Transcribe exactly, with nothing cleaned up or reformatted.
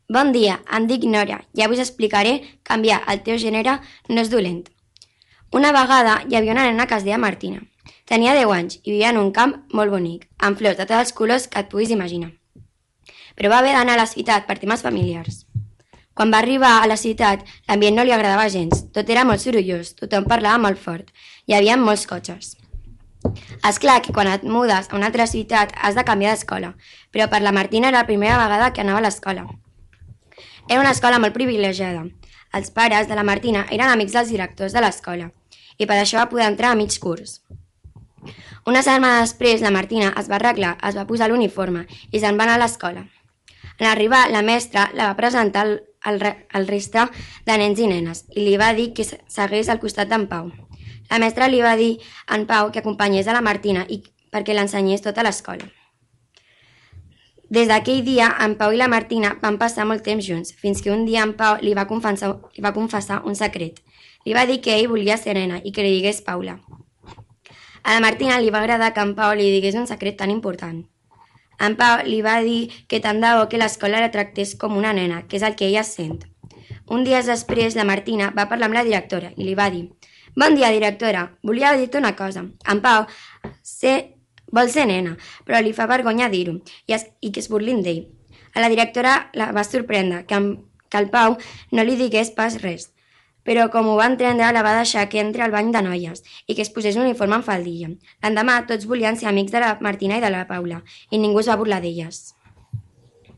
Bon dia, em dic Nora. Ja us explicaré canviar el teu gènere no és dolent. Una vegada hi havia una nena que es deia Martina. Tenia deu anys i vivia en un camp molt bonic, amb flors de tots els colors que et puguis imaginar. Però va haver d'anar a la ciutat per temes familiars. Quan va arribar a la ciutat, l'ambient no li agradava gens. Tot era molt sorollós, tothom parlava molt fort. Hi havia molts cotxes. És clar que quan et mudes a una altra ciutat has de canviar d'escola, però per la Martina era la primera vegada que anava a l'escola. Era una escola molt privilegiada. Els pares de la Martina eren amics dels directors de l'escola i per això va poder entrar a mig curs. Una setmana després, la Martina es va arreglar, es va posar l'uniforme i se'n va anar a l'escola. En arribar, la mestra la va presentar al, al, al resta de nens i nenes i li va dir que seguís al costat d'en Pau. La mestra li va dir a en Pau que acompanyés a la Martina i perquè l'ensenyés tota l'escola. Des d'aquell dia, en Pau i la Martina van passar molt temps junts, fins que un dia en Pau li va confessar, li va confessar un secret. Li va dir que ell volia ser nena i que li digués Paula. A la Martina li va agradar que en Pau li digués un secret tan important. En Pau li va dir que tant de bo que l'escola la tractés com una nena, que és el que ella sent. Un dia després, la Martina va parlar amb la directora i li va dir: «Bon dia, directora, volia dir-te una cosa. En Pau sé, vol ser nena, però li fa vergonya dir-ho i, es, i que es burlin d'ell». A la directora la va sorprendre que, en, que el Pau no li digués pas res, però com ho va entendre la va deixar que entri al bany de noies i que es posés un uniforme en faldilla. L'endemà tots volien ser amics de la Martina i de la Paula i ningú es va burlar d'elles.